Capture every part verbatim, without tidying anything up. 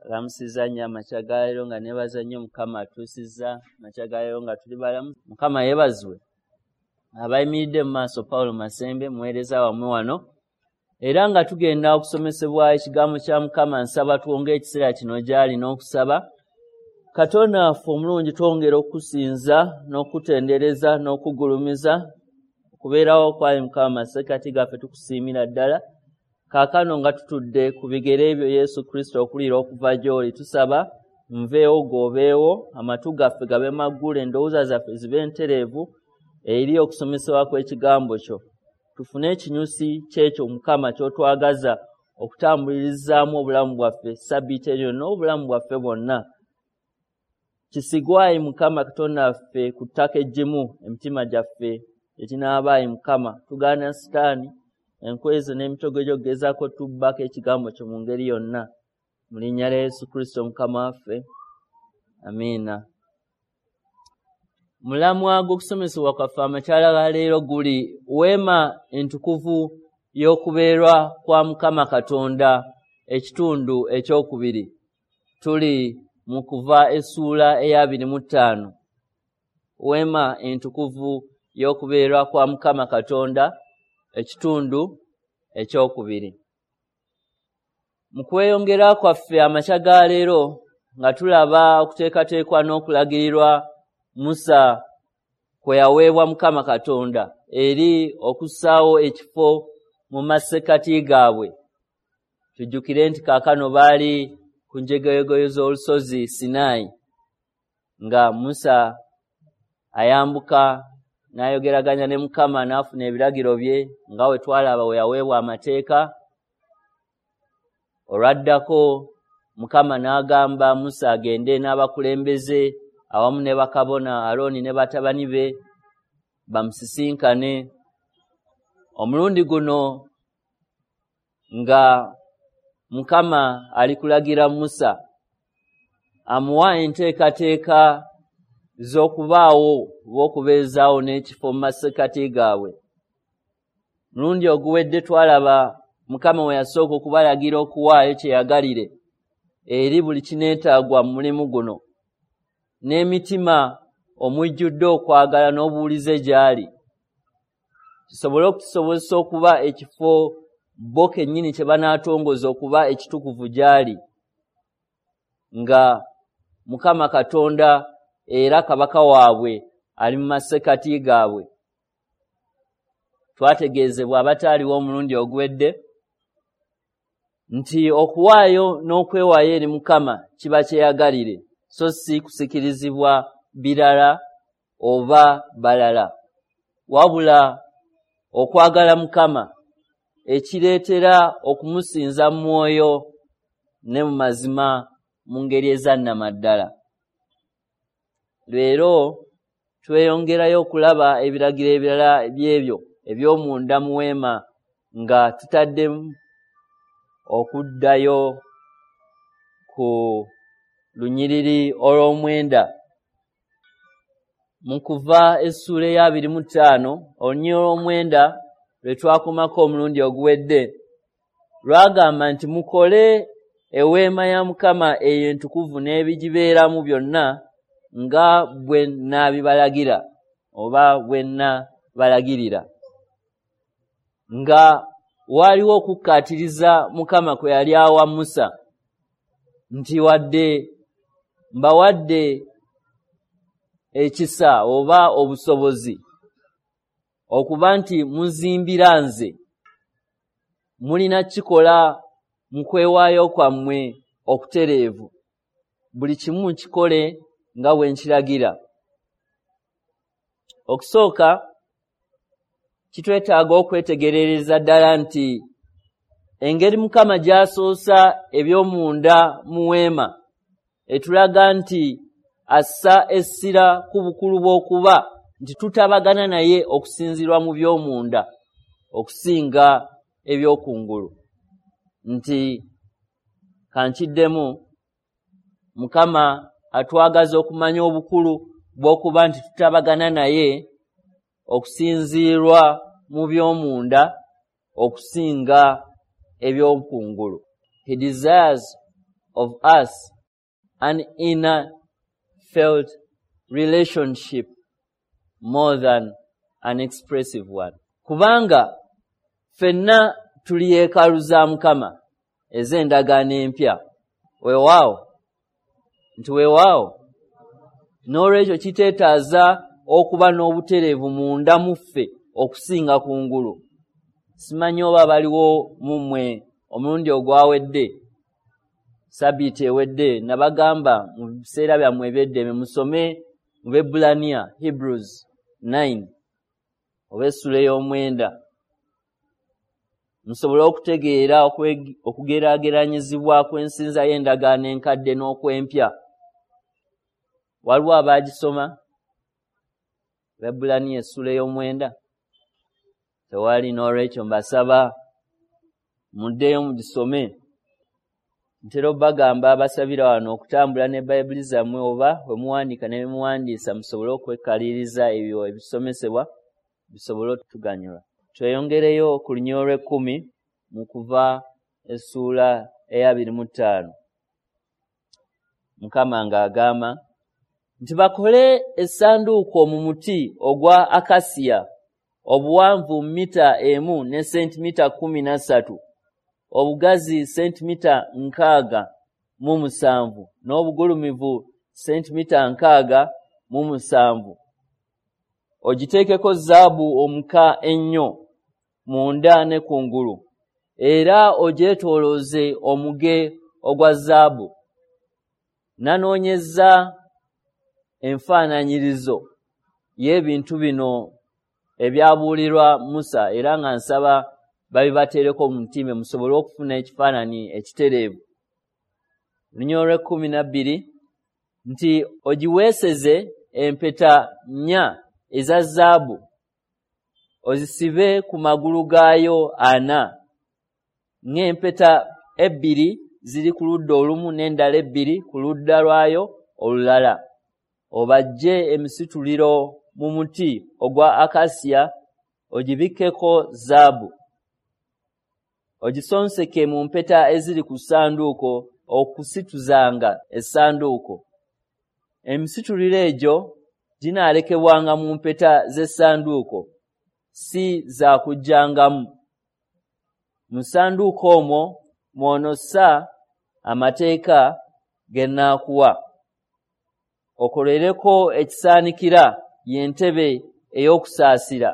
Lamusiza nnyo amakya ga leero nga neebaza nnyo Mukama atuusizza amakya ga leero nga tuli balamu. Mukama yeebazibwe. Abayimiridde mu maaso Paulo Masembe muweereza wammwe wano. Era nga tugenda okusomesebwa ekigambo kya Mukama, nsaba twongere ekiseera kino gy'ali n'okusaba. Katonda waffe omulungi, twongera okusinza n'okutendereza n'okugulumiza okubeerawo kwali Mukama masekkati gaffe, tukusiimira ddala. Kaakano nga tutudde ku bigere ebyo Yesu Kristo okuliira okuva gy'oli, tusaba nveewo g'obeewo, amatu gaffe gabe maggule, endowooza zaffe zibe ntereevu eri okusomesebwa kw'ekigambo kyo. Tufune ekinyusi ky'ekyo Mukama ky'otwagaza okutambulirizaamu obulamu bwaffe ssabbiiti eno n'obulamu bwaffe bwonna. Kisigwayi Mukama Katonda waffe ku ttaka eggimu emitima gyaffe ekinaabaayi Mukama. Tugaana Sitaani enkwezo n'emitego gy'okugezaako tubbako ekigambo kyo mu ngeri yonna. Mu linnya lya Yesu Kristo Mukama waffe, amiina. Mulamwa gw'okusomesebwa kwaffe amakyala ga leero guli weema entukuvu y'okubeerwa kwa Mukama Katonda, ekitundu ekyokubiri. Tuli mu kuva essuula ey'abiri mu ttaano. Weema entukuvu y'okubeerwa kwa Mukama Katonda, ekitundu ekyokubiri. Mu kweyongera kwaffe amakya ga leero nga tulaba okuteekateekwa n'okulagirirwa Musa kwe yaweebwa Mukama Katonda eri okussaawo ekifo mu masekkati gaabwe. Tujjukire nti kaakano baali ku njegoyego z'olusozi Sinaayi, nga Musa ayambuka n'ayogeraganya ne Mukama n'afuna ebiragiro bye nga we twalaba we yaweebwa amateeka. Olwaddako Mukama n'agamba Musa agende n'abakulembeze awamu ne bakabona Alooni ne batabani be bamusisinkane. Omulundi guno nga Mukama ali kulagira Musa amuwa enteekateeka z'okubaawo oba okubeezaawo n'ekifo mu masekkati gaabwe. Mulundi oguwedde twalaba Mukama we yasooka okubalagira okuwaayo kyeyagalire eri buli kineetaagwa mu mulimu guno, n'emitima omujjudde okwagala n'obuwulize gy'ali, kisobole okutusobozesa okuba ekifo bo kennyini kye banaatongoza okuba ekitukuvu gy'ali, nga Mukama Katonda era kabaka waabwe ali mu masekkati gaabwe. Twategeezebwa abataaliwo omulundi oguwedde nti okuwaayo n'okwewaayo eri Mukama kiba kyeyagalire, so si kusikirizibwa birala oba balala, wabula okwagala Mukama ekireetera okumusinza mu mwoyo ne mu mazima mu ngeri ezannamaddala. Leero tweyongerayo okulaba ebiragiro ebirala by'ebyo eby'omunda mu weema nga tutaddemu okuddayo ku lunyiriri olw'omwenda. Mu kuva essuula ey'abiri mu ttaano, olunyiriri olw'omwenda lwe twakomako omulundi oguwedde lwagamba nti mukole eweema ya Mukama eyo entukuvu n'ebigibeeramu byonna nga bwe nnaabibalagira oba bwe nnabalagirira. Nga waaliwo okukkaatiriza Mukama kwe yali awa Musa nti wadde mbawadde ekisa oba obusobozi okuba nti muzimbira nze, mulina kikola mu kwewaayo kwammwe okutereevu, buli kimu kikole nga bwe nkiragira. Okusooka kitwetaaga okwetegerereza ddala nti engeri Mukama gy'asoosa eby'omunda mu weema etulaga nti assa essira ku bukulu bw'okuba nti tutabagana naye okusinziirwa mu by'omunda okusinga eby'okungulu. Nti kankiddemu, Mukama atwagaza okumanya obukulu bw'okuba nti tutabagana naye okusinziirwa mu by'omunda okusinga eby'okungulu. He desires of us an inner felt relationship more than an expressive one. Kubanga ffenna tuli yeekaalu za Mukama ez'endagaano empya. Weewaawo nti weewaawo. N'olwekyo kiteetaaza okuba n'obutereevu munda mu ffe okusinga kungulu. Simanyi oba baliwo mu mmwe omulundi ogwawedde, sabbiiti ewedde, nabagamba mu biseera byammwe eby'eddembe musome mu Bebbulaniya, Hebrews nine oba essula ey'omwenda, musobole okutegeera okugeraageranyizibwa kw'ensinza y'endagaano enkadde n'okw'empya. Waliwo abaagisoma Bebbulaniya essula ey'omwenda? Tewali. N'olwekyo mbasaba muddeyo mugisome. Ntera obbagamba abasabira wano okutambula ne Bayibuli zammwe oba bwe muwandiika ne bye muwandiisa musobole okwekaliriza ebyo ebisomesebwa bisobole otuganyula. Tweyongereyo ku lunyiriri olw'ekkumi mu Kuva essuula ey'abiri mu ttaano. Mukama ng'agamba nti bakole essanduuko mu muti ogwa akasiya obuwanvu mita emu ne sentimita kkumi na ssatu, obugazi sentimita nkaaga mu musanvu n'obugulumivu sentimita nkaaga mu musanvu. Ogiteekeko zaabu omuka ennyo munda ne kungulu, era ogyetoolooze omuge ogwa zaabu. Nanoonyezza enfaananyirizo y'ebintu bino ebyabuulirwa Musa, era nga nsaba babibateereko mu mutima musobole okufuna ekifaananyi ekitereevu. Lunyiriri olw'ekkumi na bbiri nti ogiweeseze empeta nnya eza zaabu ozisibe ku magulu gaayo ana, ng'empeta ebbiri ziri ku ludda olumu n'endala ebbiri ku ludda lwayo olulala. Obajje emisituliro mu muti ogwa akasiya ogibikkeko zaabu. Ogisonseke mu mpeta eziri ku ssanduuko okusituzanga essanduuko. Emisituliro egyo ginaalekebwanga mu mpeta z'essanduuko, si za kugyangamu. Mu ssanduuko omwo mw'onossa amateeka ge nnaakuwa. Okolereko ekisaanikira y'entebe ey'okusaasira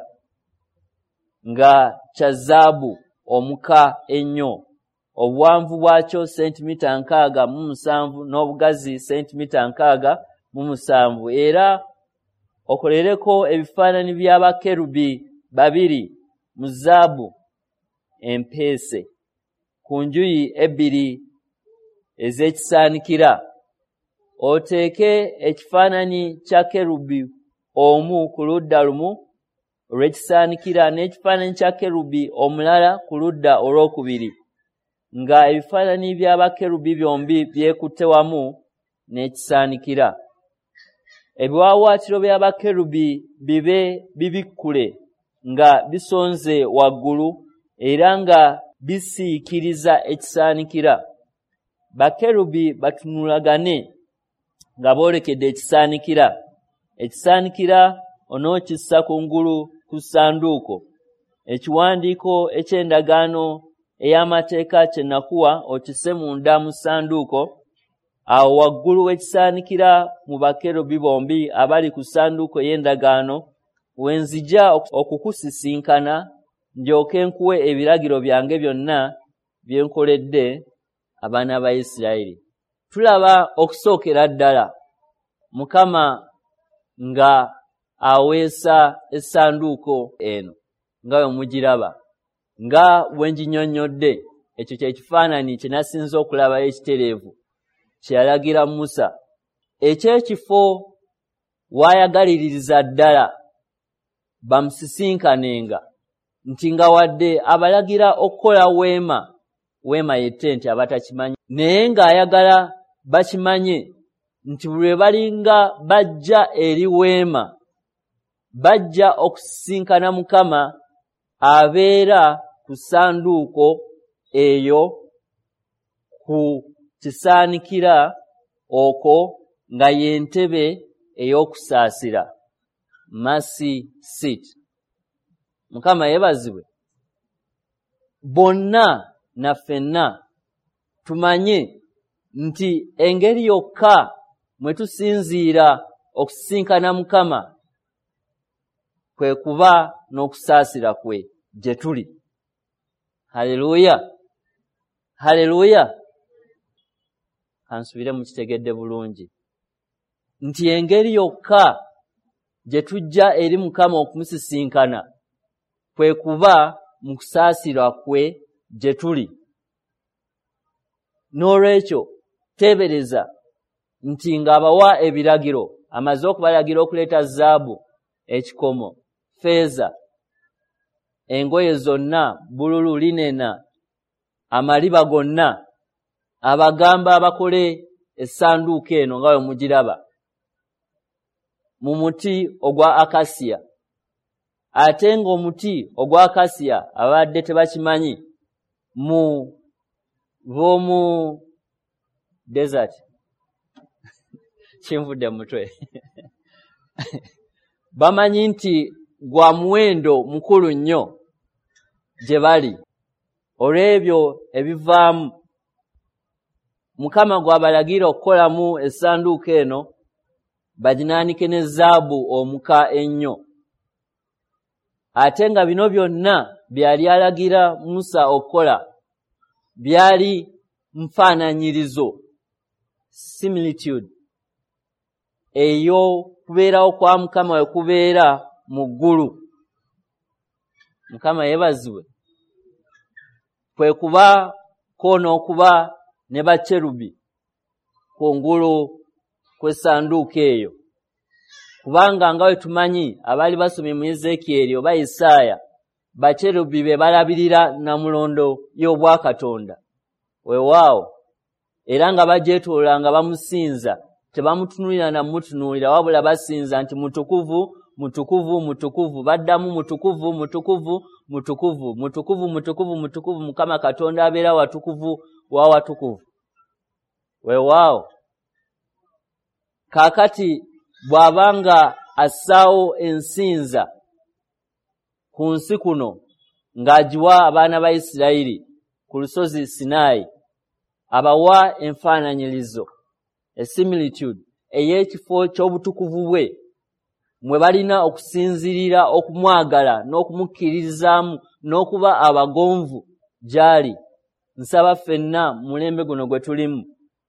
nga kya zaabu omuka ennyo, obuwanvu bwakyo sentimita nkaaga mu musanvu n'obugazi sentimita nkaaga mu musanvu. Era okolereko ebifaananyi bya bakerubi babiri mu zaabu empeese ku njuyi ebbiri ez'ekisaanikira. Oteeke ekifaananyi kya kerubi omu ku ludda lumu olw'ekisaanikira n'ekifaananyi kya kerubi omulala ku ludda olwokubiri, nga ebifaananyi bya bakerubi byombi byekutte wamu n'ekisaanikira. Ebiwaawaatiro bya bakerubi bibe bibikkule nga bisonze waggulu era nga bisiikiriza ekisaanikira. Bakerubi batunulagane nga boolekedde ekisaanikira. Ekisaanikira onookissa kungulu ku ssanduuko. Ekiwandiiko eky'endagaano ey'amateeka kye nakuwa okisse munda mu ssanduuko. Awo waggulu w'ekisaanikira mu bakerubi bombi abali ku ssanduuko ey'endagaano we nzija okukusisinkana, ndyoke nkuwe ebiragiro byange byonna bye nkoledde abaana ba Isirayiri. Tulaba okusookera ddala Mukama nga aweesa essanduuko eno nga bwe mugiraba, nga bwe nginnyonnyodde. Ekyo kye kifaananyi kye nasinze okulabayo ekitereevu kye yalagira Musa, eky'ekifo w'ayagaliririza ddala bamusisinkanenga, nti nga wadde abalagira okukola weema, weema ye ttenti abatakimanyi, naye ng'ayagala bakimanye nti buli lwe balinga bajja eri weema, bajja okusisinkana Mukama abeera ku ssanduuko eyo ku Kisaanikira okwo nga y'entebe ey'okusaasira, mercy seat. Mukama yeebazibwe. Bonna na ffenna tumanye nti engeri yokka mwe tusinziira okusisinkana Mukama kwe kuba n'okusaasira kwe gye tuli. Haleluya, haleluya. Kansubire mukitegedde bulungi nti engeri yokka gye tujja eri Mukama okumusisinkana kwe kuba mu kusaasira kwe gye tuli. N'olwekyo teebereza nti ng'abawa ebiragiro, amaze okubalagira okuleeta zaabu, ekikomo, ffeeza, engoye zonna, bbululu, linena, amaliba gonna, abagamba abakole essanduuko eno nga bwe mugiraba mu muti ogwa akasiya. Ate ng'omuti ogwa akasiya abadde tebakimanyi mu b'omu desert kinvudde mu mutwe bamanyi nti gwa muwendo mukulu nnyo gye bali olw'ebyo ebivaamu. Mukama gw'abalagira okukolamu essanduuko eno baginaanike ne zaabu omuka ennyo. Ate nga bino byonna byali alagira Musa okukola byali nfaananyirizo, similitude, ey'okubeerawo kwa Mukama we kubeera mu ggulu. Mukama yeebazibwe. Kwe kubaako n'okuba ne bakerubi kungulu kw'essanduuko eyo, kubanga nga bwe tumanyi abaali basomye mu Ezeekyeri oba Isaaya, bakerubi be balabirira nnamulondo y'obwakatonda. Weewaawo, era nga bagyetooloola nga bamusinza, tebamutunuulira na mmutunuulira, wabula basinza nti mutukuvu, mutukuvu, mutukuvu. Baddamu mutukuvu, mutukuvu, mutukuvu, mutukuvu, mutukuvu, mutukuvu, Mukama Katonda abeera watukuvu wa watukuvu. Weewaawo, kaakati bw'abanga assaawo ensinza ku nsi kuno ng'agiwa abaana ba Isirayiri ku lusozi Sinaayi, abawa enfaananyirizo, a similitude, ey'ekifo ky'obutukuvu bwe mwe balina okusinziirira okumwagala n'okumukkiririzaamu n'okuba abagonvu gy'ali. Nsaba ffenna mu mulembe guno gwe tulimu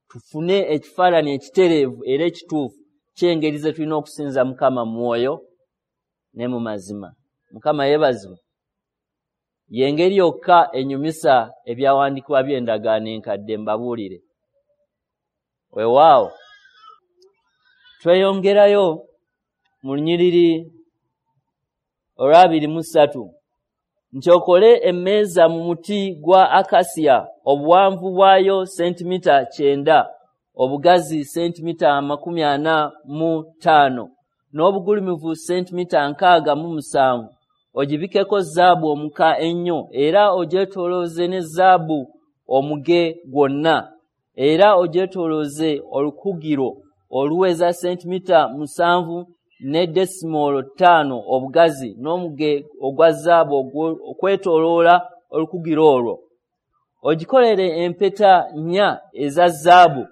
tufune ekifaananyi ekitereevu era ekituufu ky'engeri ze tulina okusinza Mukama mu mwoyo ne mu mazima. Mukama yeebazibwe. Y'engeri yokka enyumisa ebyawandiikibwa by'endagaano enkadde, mbabuulire. Weewaawo, tweyongerayo mu lunyiriri olw'abiri mu ssatu nti okole emmeeza mu muti gwa akasiya, obuwanvu bwayo sentimita kyenda, obugazi sentimita amakumi ana mu ttaano, n'obugulumivu sentimita nkaaga mu musanvu. Ogibikeko zaabu omuka ennyo, era ogyetoolooze ne zaabu omuge gwonna, era ogyetoolooze olukugiro oluweza sentimita musanvu ne desimoolo ttaano obugazi, n'omuge ogwa zaabu okwetooloola olukugiro olwo. Ogikolere empeta nnya eza zaabu,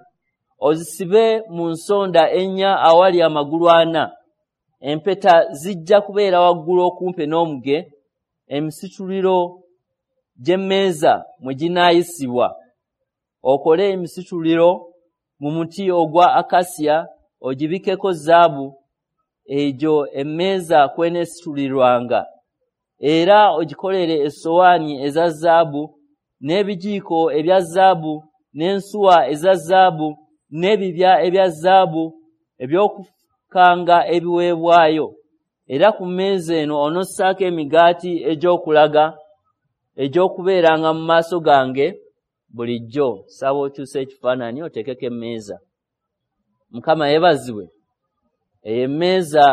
ozisibe mu nsonda ennya awali amagulu ana. Empeta zijja kubeera waggulu okumpi n'omuge, emisituliro gy'emmeeza mwe ginaayisibwa. Okole emisituliro mu muti ogwa akasiya, ogibikeko zaabu, egyo emmeeza kw'eneesitulirwanga. Era ogikolere essowaani eza zaabu, n'ebijiiko ebya zaabu, n'ensuwa eza zaabu, n'ebibya ebya zaabu eby'okukanga ebiweebwayo. Era ku mmeeza eno onossaako emigaati egy'okulaga egy'okubeeranga mu maaso gange bulijjo. Saba okyuse ekifaananyi oteekeko emmeeza. Mukama yeebazibwe. Eyo emmeeza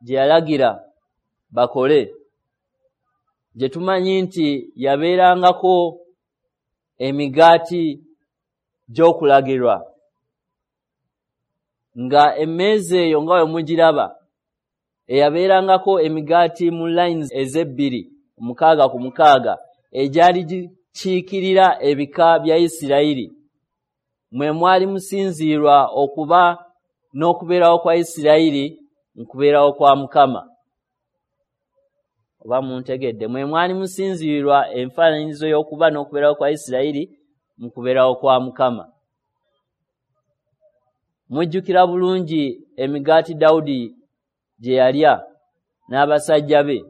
gye yalagira bakole, gye tumanyi nti yabeerangako emigaati gy'okulagirwa, nga emmeeza eyo nga bwe mugiraba eyabeerangako emigaati mu lines ez'ebbiri mukaaga ku mukaaga egyali gikiikirira ebika bya Isirayiri, mwe mwali musinziirwa okuba n'okubeerawo kwa Isirayiri mu kubeerawo kwa Mukama. Oba muntegedde? Mwe mwali musinziirwa enfaananyizo y'okuba n'okubeerawo kwa Isirayiri mu kubeerawo kwa Mukama. Mujjukira bulungi emigaati Dawudi gye yalya n'abasajja be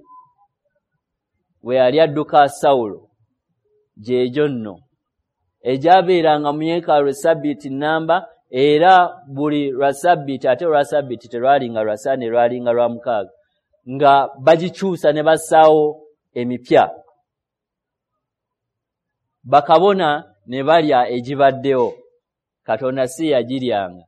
bwe yali adduka Sawulo, gy'egyo nno egyabeeranga mu yeekaalu essabbiiti nnamba, era buli lwa ssabbiiti, ate olwa ssabbiiti terwalinga lwa Sande, lwalinga lwa mukaaga, nga bagikyusa ne bassaawo emipya, bakabona ne balya egibaddewo. Katonda si yagiryanga.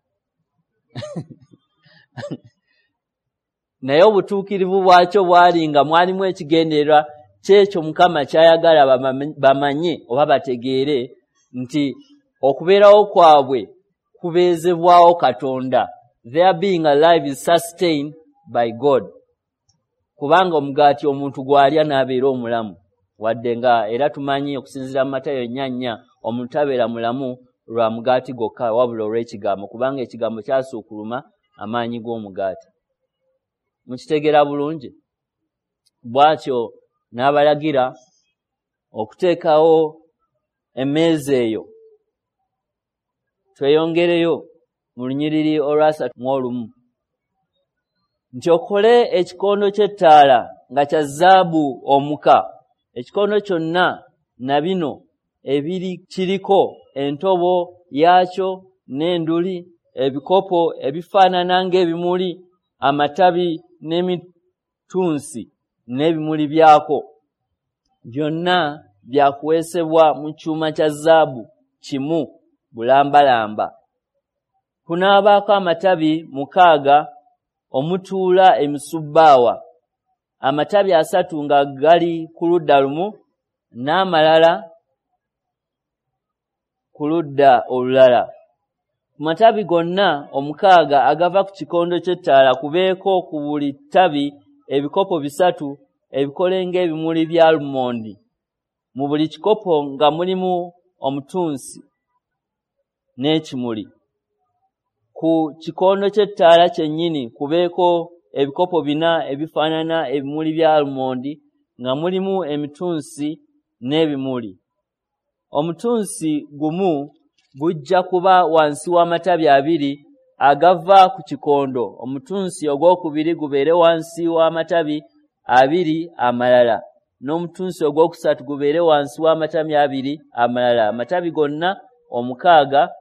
Naye obutuukirivu bwakyo bwali nga mwalimu ekigendererwa kyekyo Mukama ky'ayagala bamanye oba bategeere nti okubeerawo kwabwe kubeezebwawo Katonda. Their being alive is sustained by God. Kubanga omugaati omuntu gw'alya n'abeera omulamu, wadde nga era tumanyi okusinziira mu Matayo nnya nnya omuntu tabeera mulamu lwa mugaati gwokka wabula olw'ekigambo, kubanga ekigambo kyasuukuluma amaanyi g'omugaati. Mukitegeera bulungi? Bw'atyo n'abalagira okuteekawo emmeeza eyo. Tweyongereyo mu lunyiriri olwasatu mu olumu nti okole ekikondo ky'ettaala nga kya zaabu omuka, ekikondo kyonna na bino ebiri kiriko entobo yaakyo n'enduli, ebikopo ebifaanana ng'ebimuli, amatabi n'emitunsi n'ebimuli byako, byonna byakuweesebwa mu kyuma kya zaabu kimu bulambalamba. Kunaabaako amatabi mukaaga omutuula emisubbaawa, amatabi asatu nga gali ku ludda lumu n'amalala ku ludda olulala. Ku matabi gonna omukaaga agava ku kikondo ky'ettaala kubeeko ku buli ttabi ebikopo bisatu ebikole ng'ebimuli bya alumondi, mu buli kikopo nga mulimu omutunsi n'ekimuli. Ku kikondo ky'ettaala kyennyini kubeeko ebikopo bina ebifaanana ebimuli bya alumondi nga mulimu emitunsi n'ebimuli. Omutunsi gumu gujja kuba wansi w'amatabi abiri agava ku kikondo, omutunsi ogwokubiri gubeere wansi w'amatabi abiri amalala, n'omutunsi ogwokusatu gubeere wansi w'amatabi abiri amalala. Amatabi gonna omukaaga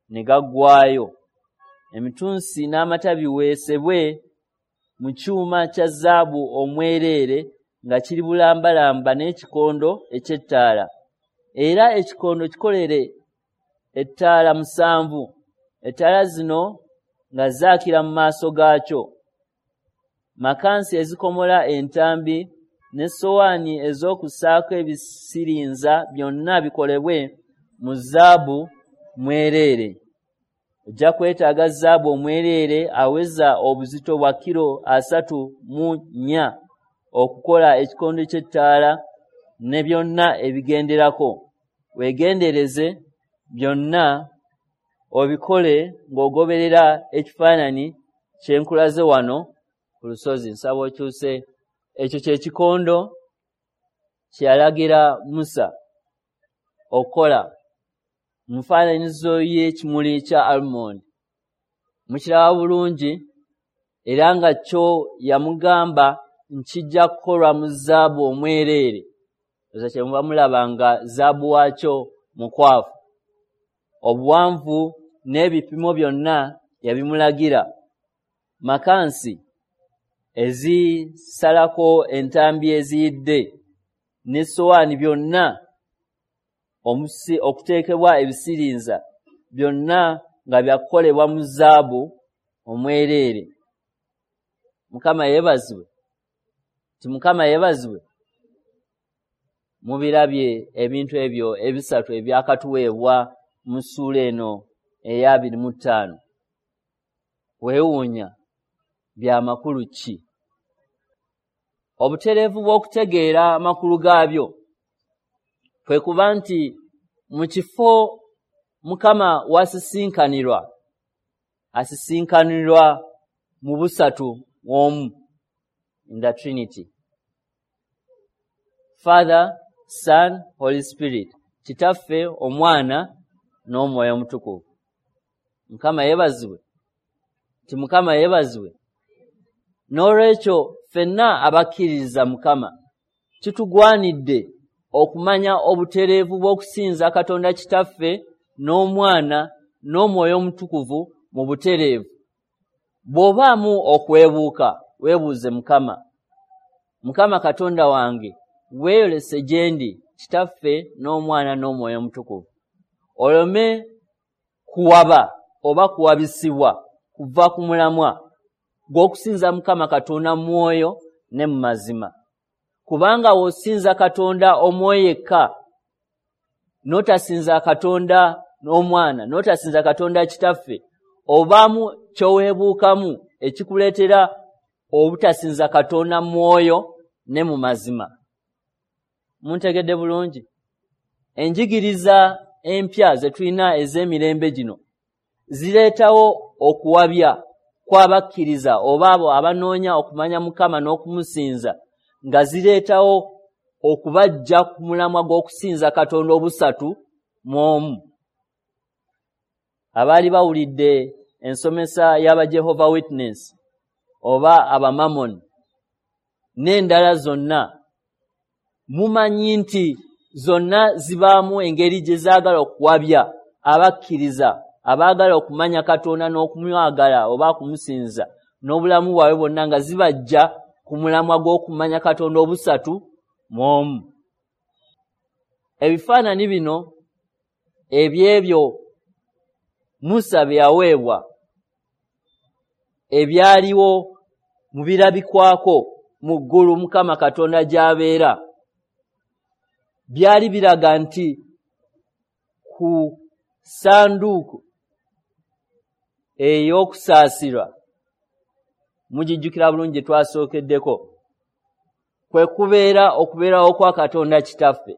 ne gaggwaayo. Emitunsi n'amatabi weesebwe mu kyuma kya zaabu omwereere nga kiri bulambalamba n'ekikondo eky'ettaala. Era ekikondo kikolere ettaala musanvu, ettaala zino nga zaakira mu maaso gaakyo. Makansi ezikomola entambi n'essowaani ez'okussaako ebisirinza byonna bikolebwe mu zaabu mwereere. Ojja kwetaaga zaabu omwereere aweza obuzito bwa kilo asatu mu nnya okukola ekikondo ky'ettaala ne byonna ebigenderako. Weegendereze byonna obikole ng'ogoberera ekifaananyi kye nkulaze wano ku lusozi. Nsaba okyuse. Ekyo kye kikondo kye yalagira Musa okukola mu nfaananyizo y'ekimuli kya almondi. Mukiraba bulungi, era nga kyo yamugamba nkijja kukolwa mu zaabu omwereere. Oza kye muba mulaba nga zaabu waakyo mukwafu. Obuwanvu n'ebipimo byonna yabimulagira. Makansi ezisalako entambi eziyidde n'essowaani byonna omusi okuteekebwa ebisirinza byonna nga byakukolebwa mu zaabu omwereere. Mukama yeebazibwe. Ti Mukama yeebazibwe. Mubirabye ebintu ebyo ebisatu ebyakatuweebwa mu ssuula eno ey'abiri mu ttaano. Weewuunya bya makulu ki? Obutereevu bw'okutegeera amakulu gaabyo kwe kuba nti mu kifo Mukama w'asisinkanirwa, asisinkanirwa mu busatu omu, in the Trinity. Father, Son, Holy Spirit. Kitaffe, Omwana n'Omwoyo Omutukuvu. Mukama yeebazibwe. Nti Mukama yeebazibwe. N'olwekyo ffenna abakkiririza Mukama kitugwanidde okumanya obutereevu bw'okusinza Katonda Kitaffe n'Omwana n'Omwoyo Omutukuvu mu butereevu. Bw'obaamu okwebuuka, weebuuze Mukama. Mukama Katonda wange, weeyolese gye ndi Kitaffe n'Omwana n'Omwoyo Omutukuvu. Oleme kuwaba oba kuwabisibwa kuva ku mulamwa gw'okusinza Mukama Katonda mu mwoyo ne mu mazima. Kubanga w'osinza Katonda omwoyo yekka, n'otasinza Katonda n'Omwana, n'otasinza Katonda Kitaffe, obaamu ky'oweebuukamu ekikuleetera obutasinza Katonda mu mwoyo ne mu mazima. Muntegedde bulungi? Enjigiriza empya ze tulina ez'emirembe gino zireetawo okuwabya kw'abakkiriza oba abo abanoonya okumanya Mukama n'okumusinza, nga zireetawo okubaggya ku mulamwa gw'okusinza Katonda obusatu mu omu. Abaali bawulidde ensomesa y'aba Jehovah Witness oba Abamamoni n'endala zonna, mumanyi nti zonna zibaamu engeri gye zaagala okuwabya abakkiriza abaagala okumanya Katonda n'okumwagala oba okumusinza n'obulamu bwabwe bwonna, nga zibajja ku mulamwa gw'okumanya Katonda obusatu mu omu. Ebifaananyi bino eby'ebyo Musa bye yaweebwa ebyaliwo mu birabikwako mu ggulu Mukama Katonda gy'abeera, byali biraga nti ku ssanduuku ey'okusaasirwa, mugijjukira bulungi gye twasookeddeko, kwe kubeera okubeerawo kwa Katonda Kitaffe.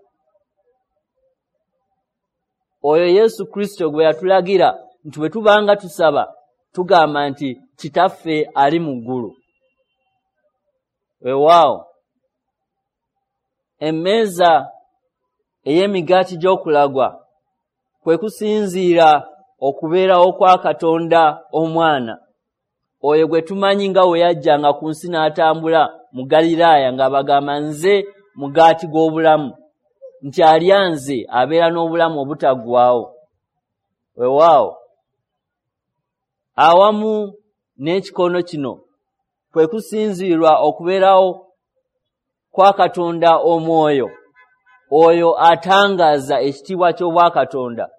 Oyo Yesu Kristo gwe yatulagira nti bwe tubanga tusaba tugamba nti Kitaffe ali mu ggulu. Weewaawo, emmeeza ey'emigaati gy'okulagwa kwe kusinziira okubeerawo kwa Katonda Omwana, oyo gwe tumanyi nga we yajjanga ku nsi n'atambula mu Galiraaya ng'abagamba nze mugaati gw'obulamu, nti alya nze abeera n'obulamu obutaggwaawo. Weewaawo, awamu n'ekikono kino kwe kusinziirwa okubeerawo kwa Katonda Omwoyo, oyo atangaaza ekitiibwa ky'Obwakatonda,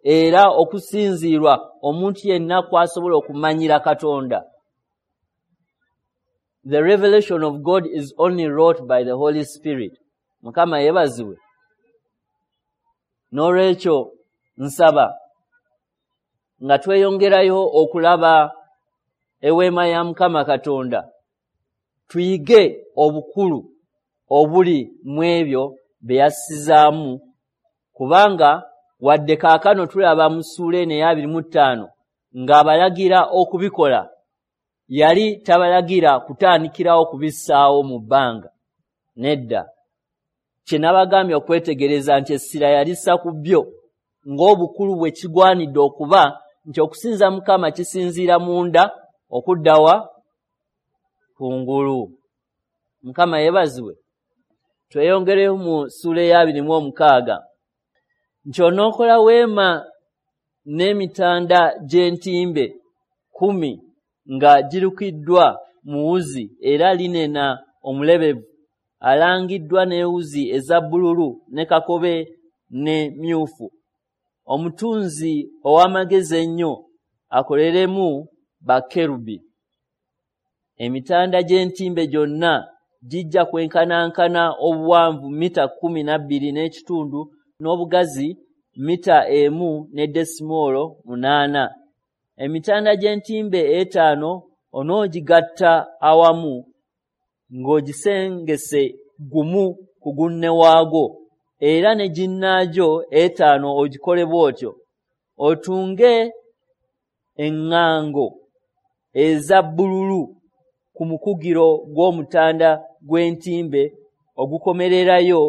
era okusinziirwa omuntu yenna kw'asobola okumanyira Katonda. The revelation of God is only wrought by the Holy Spirit. Mukama yeebazibwe. N'olwekyo nsaba nga tweyongerayo okulaba eweema ya Mukama Katonda, tuyige obukulu obuli mu ebyo bye yassizaamu, kubanga wadde kaakano tulaba mu ssuula eno ey'abiri mu ttaano ng'abalagira okubikola, yali tabalagira kutandikirawo kubissaawo mu bbanga. Nedda. Kye nabagambye okwetegereza nti essira yalissa ku byo ng'obukulu bwe kigwanidde okuba nti okusinza Mukama kisinziira munda okudda wa kungulu. Mukama yeebazibwe. Tweyongereyo mu ssuula ey'abiri mu omukaaga nti onookola weema n'emitanda gy'entimbe kkumi nga girukiddwa mu wuzi era linena omulebevu alangiddwa n'ewuzi eza bbululu ne kakobe ne myufu. Omutunzi ow'amagezi ennyo akoleremu bakerubi. Emitanda gy'entimbe gyonna gijja kwenkanankana obuwanvu mita kkumi na bbiri n'ekitundu n'obugazi mita emu ne desimoolo munaana. Emitanda gy'entimbe etaano onoogigatta awamu ng'ogisengese gumu ku gunne waagwo, era ne ginnaagyo etaano ogikole bw'otyo. Otunge eŋŋango eza bbululu ku mukugiro gw'omutanda gw'entimbe ogukomererayo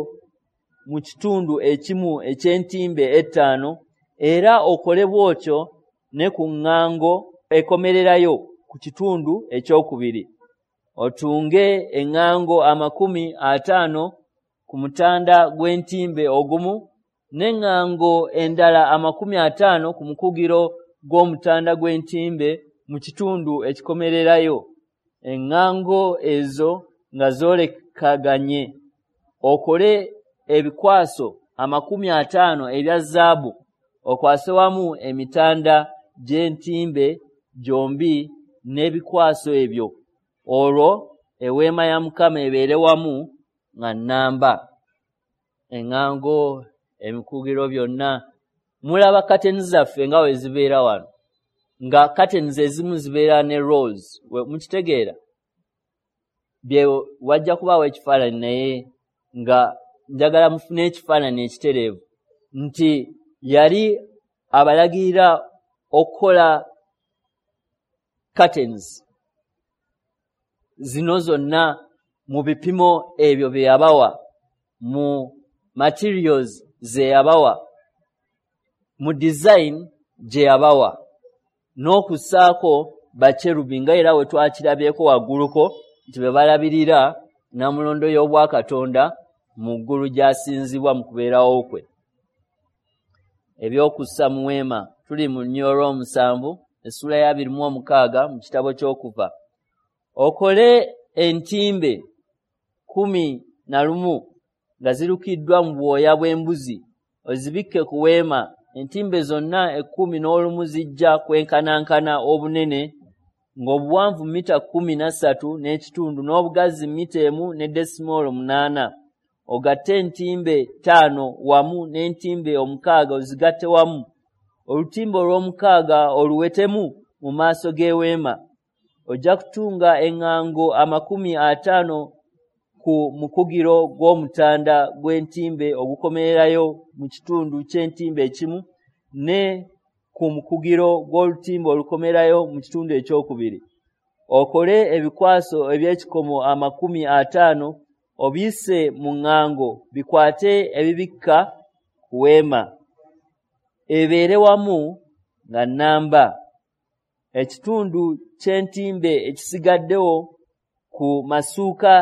mu kitundu ekimu eky'entimbe ettaano, era okole bw'otyo ne ku ŋŋango ekomererayo ku kitundu ekyokubiri. Otunge eŋŋango amakumi ataano ku mutanda gw'entimbe ogumu, n'eŋŋango endala amakumi ataano ku mukugiro gw'omutanda gw'entimbe mu kitundu ekikomererayo. Eŋŋango ezo nga zoolekaganye. Okole ebikwaso amakumi ataano ebya zaabu, okwase wamu emitanda gy'entimbe gyombi n'ebikwaso ebyo. Olwo eweema ya Mukama ebeere wamu nga nnamba. Eŋŋango, emikugiro byonna. Mulaba kateni zaffe nga we zibeera wano, nga kateni ezimu zibeera ne rolls. Mukitegeera? Bye wajja kubaawo ekifaananyi, naye nga njagala mufune ekifaananyi ekitereevu nti yali abalagirira okukola curtains zino zonna mu bipimo ebyo bye yabawa, mu materials ze yabawa, mu design gye yabawa, n'okussaako bakerubi nga era we twakirabyeko wagguluko nti be balabirira nnamulondo y'Obwakatonda mu ggulu gy'asinzibwa mu kubeerawo kwe. Ebyokussa mu weema. Tuli mu lunyiriri olw'omusanvu, essuula ya abiri mu omukaaga mu kitabo ky'Okuva. Okole entimbe kkumi na lumu nga zirukiddwa mu bwoya bw'embuzi, ozibikke ku weema. Entimbe zonna ekkumi n'olumu zijja kwenkanankana obunene, ng'obuwanvu mita kkumi na ssatu n'ekitundu n'obugazi mita emu ne desimoolo munaana. Ogatte entimbe ttaano wamu n'entimbe omukaaga ozigatte wamu. Olutimbe olw'omukaaga oluwetemu mu maaso g'eweema. Ojja kutunga eŋŋango amakumi ataano ku mukugiro gw'omutanda gw'entimbe ogukomererayo mu kitundu ky'entimbe ekimu, ne ku mukugiro gw'olutimbe olukomerayo mu kitundu ekyokubiri. Okole ebikwaso eby'ekikomo amakumi ataano obiyise mu ŋŋango bikwate ebibikka ku weema, ebeere wamu nga nnamba. Ekitundu ky'entimbe ekisigaddewo ku masuuka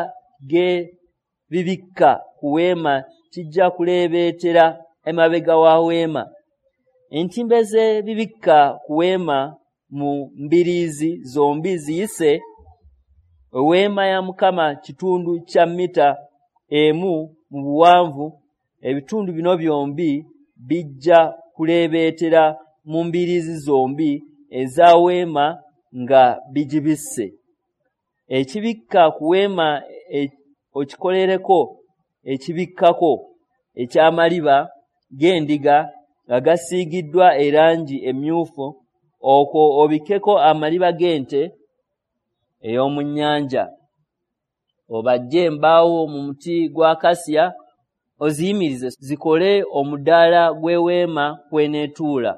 g'ebibikka ku weema kijja kuleebeetera emabega wa weema. Entimbe z'ebibikka ku weema mu mbiriizi zombi ziyise eweema ya Mukama kitundu kya mita emu mu buwanvu. Ebitundu bino byombi bijja kuleebeetera mu mbiriizi zombi eza weema nga bigibisse. Ekibikka ku weema okikolereko ekibikkako eky'amaliba g'endiga nga gasiigiddwa erangi emmyufu, okwo obikkeko amaliba g'ente ey'omu nnyanja. Obajje embaawo mu muti gwa kasiya oziyimirize zikole omudaala gw'eweema kw'eneetuula.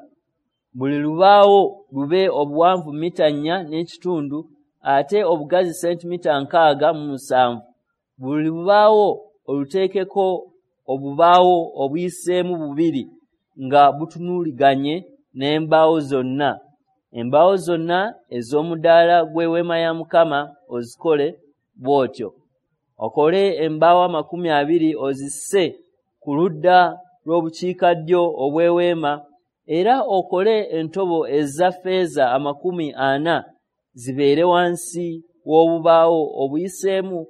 Buli lubaawo lube obuwanvu mita nnya n'ekitundu ate obugazi sentimita nkaaga mu musanvu. Buli lubaawo oluteekeko obubaawo obuyiseemu bubiri nga butunuuliganye n'embaawo zonna. Embaawo zonna ez'omudaala gw'eweema ya Mukama ozikole bw'otyo. Okole embaawo amakumi abiri ozisse ku ludda lw'obukiikaddyo obw'eweema, era okole entobo eza ffeeza amakumi ana zibeere wansi w'obubaawo obuyiseemu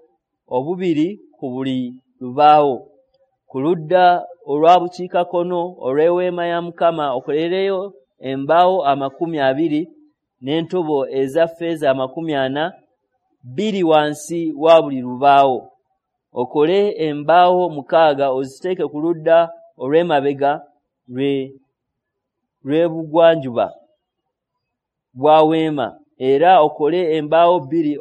obubiri ku buli lubaawo. Ku ludda olwa bukiikakkono olw'eweema ya Mukama okolereyo embaawo amakumi abiri n'entobo eza ffeeza amakumi ana, bbiri wansi wa buli lubaawo. Okole embaawo mukaaga oziteeke ku ludda olw'emabega lwe lw'ebugwanjuba bwa weema, era okole embaawo bbiri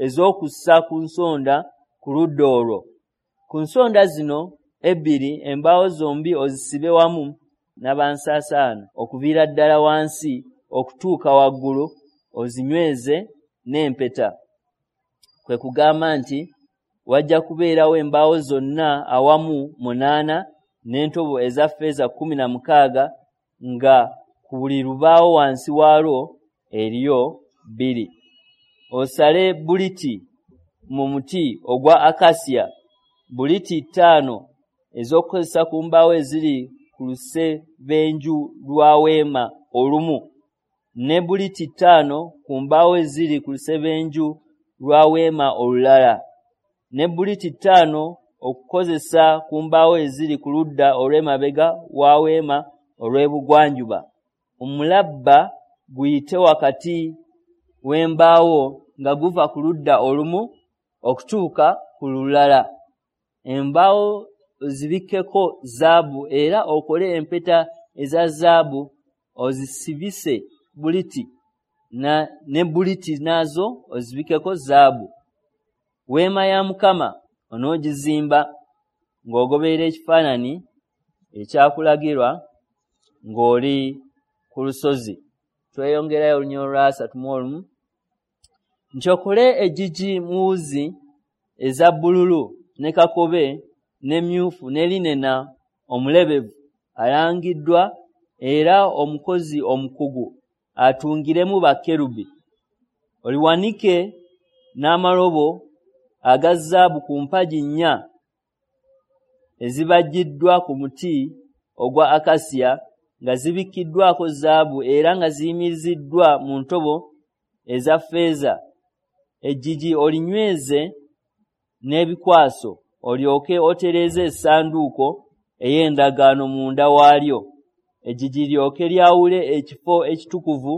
ez'okussa ku nsonda ku ludda olwo. Ku nsonda zino ebbiri embaawo zombi ozisibe wamu n'abansaasaana okuviira ddala wansi okutuuka waggulu, ozinyweze n'empeta. Kwe kugamba nti wajja kubeerawo embaawo zonna awamu munaana n'entobo eza ffeeza kkumi na mukaaga, nga ku buli lubaawo wansi waalwo eriyo bbiri. Osale buliti mu muti ogwa akasiya, buliti ttaano ez'okukozesa ku mbaawo eziri ku lusebenju lwa weema olumu, ne buliti ttaano ku mbaawo eziri ku lusebenju lwa weema olulala, ne buliti ttaano okukozesa ku mbaawo eziri ku ludda olw'emabega wa weema olw'ebugwanjuba. Omulabba guyite wakati w'embaawo nga guva ku ludda olumu okutuuka ku lulala. Embaawo ozibikkeko zaabu, era okole empeta eza zaabu ozisibise buliti na ne buliti nazo ozibikkeko zaabu. Weema ya Mukama onoogizimba ng'ogoberera ekifaananyi ekyakulagirwa ng'oli ku lusozi. Tweyongerayo olunyiriri lwa asatu mu olumu nti okole eggigi mu wuzi eza bbululu ne kakobe ne myufu ne linena omulebevu alangiddwa, era omukozi omukugu atungiremu bakerubi. Oliwanike n'amalobo aga zaabu ku mpagi nnya ezibajjiddwa ku muti ogwa akasiya, nga zibikkiddwako zaabu era nga ziyimiriziddwa mu ntobo eza ffeeza. Eggigi olinyweze n'ebikwaso, olyoke otereeze essanduuko ey'endagaano munda waalyo. Eggigi lyoke lyawule ekifo ekitukuvu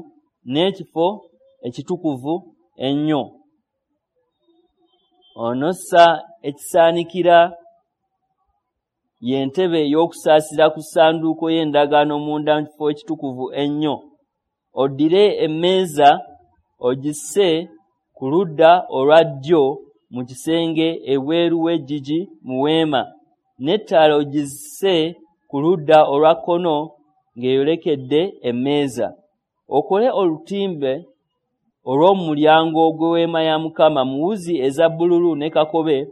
n'ekifo ekitukuvu ennyo. Onossa ekisaanikira y'entebe ey'okusaasira ku ssanduuko y'endagaano munda mu kifo ekitukuvu ennyo. Oddire emmeeza ogisse ku ludda olwa ddyo mu kisenge ebweru w'eggigi mu weema, n'ettaala ogisse ku ludda olwa kkono ng'eyolekedde emmeeza. Okole olutimbe olw'omulyango gw'eweema ya Mukama mu wuzi eza bbululu ne kakobe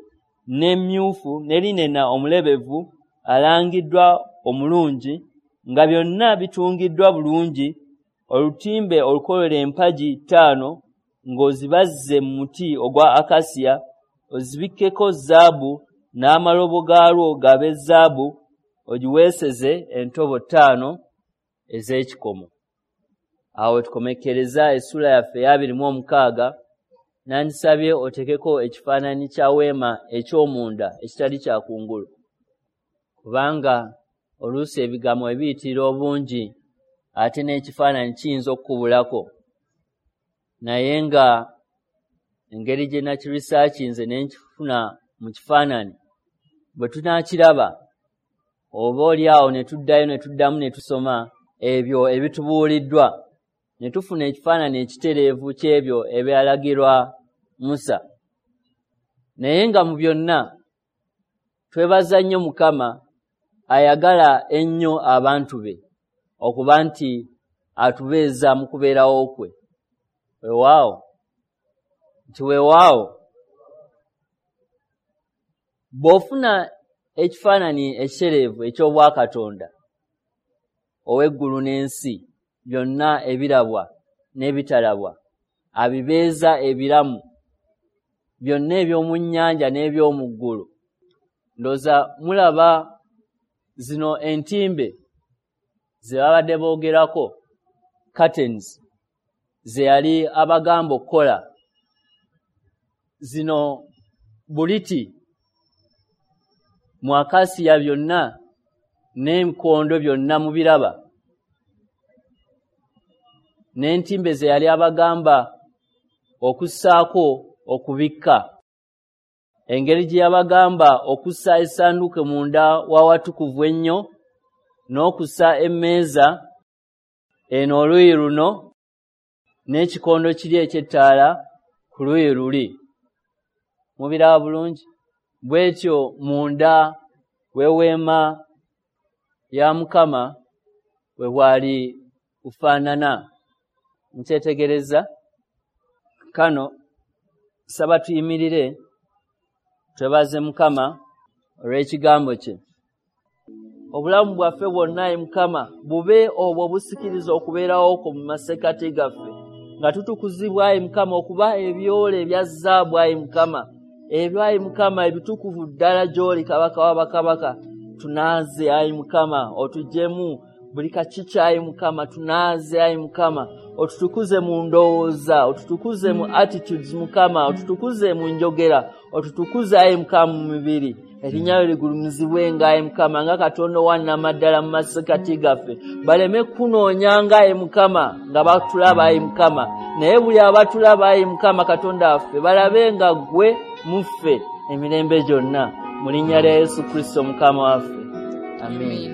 ne myufu ne linena omulebevu alangiddwa omulungi, nga byonna bitungiddwa bulungi. Olutimbe olukolere empagi ttaano ng'ozibazze mu muti ogwa akasiya, ozibikkeko zaabu n'amalobo gaalwo gabe zaabu, ogiweeseze entobo ttaano ez'ekikomo. Awo tukomekkereza essuula yaffe ey'abiri mu omukaaga. Nandisabye oteekeko ekifaananyi kya weema eky'omunda ekitali kya kungulu, kubanga oluusi ebigambo ebiyitirira obungi ate n'ekifaananyi kiyinza okukubulako. Naye nga engeri gye nakirisaakinze ne nkifuna mu kifaananyi, bwe tunaakiraba oba oli awo ne tuddayo ne tuddamu ne tusoma ebyo ebitubuuliddwa, ne tufuna ekifaananyi ekitereevu ky'ebyo ebyalagirwa Musa. Naye nga mu byonna twebaza nnyo Mukama ayagala ennyo abantu be okuba nti atubeeza mu kubeerawo kwe. Weewaawo nti weewaawo, bw'ofuna ekifaananyi ekitereevu eky'Obwakatonda ow'eggulu n'ensi, byonna ebirabwa n'ebitalabwa abibeeza ebiramu, byonna eby'omu nnyanja n'eby'omu ggulu. Ndowooza mulaba zino entimbe ze babadde boogerako, curtains ze yali abagamba okukola, zino buliti mu akasiya byonna n'enkondo byonna mubiraba, n'entimbe ze yali abagamba okussaako okubikka, engeri gye yabagamba okussa essanduuko munda w'awatukuvu ennyo N'okussa emmeeza eno oluuyi luno n'ekikondo kiri eky'ettaala ku luuyi luli. Mubiraba bulungi? Bw'etyo munda w'eweema ya Mukama bwe bwali bufaanana. Nkyetegereza. Kano saba tuyimirire twebaze Mukama olw'ekigambo kye. Obulamu bwaffe bwonna, ayi Mukama, bube obwo obusikiriza okubeerawo kwo mu masekkati gaffe, nga tutukuzibwa, ayi Mukama, okuba ebyole ebya zaabu, ayi Mukama, ebyo, ayi Mukama, ebitukuvu ddala gy'oli, Kabaka w'abakabaka. Tunaaze, ayi Mukama, otuggyemu buli kakiki, ayi Mukama. Tunaaze, ayi Mukama, otutukuze mu ndowooza, otutukuze mu attitudes, Mukama, otutukuze mu njogera, otutukuze, ayi Mukama, mu mibiri. Erinnya lyo ligulumizibwenga, ayi Mukama, nga Katonda owannamaddala mu masekkati gaffe. Baleme kunoonyanga, ayi Mukama, nga batulaba, ayi Mukama, naye buli abatulaba, ayi Mukama Katonda waffe, balabe nga ggwe muffe emirembe gyonna, mu linnya lya Yesu Kristo Mukama waffe, amiina.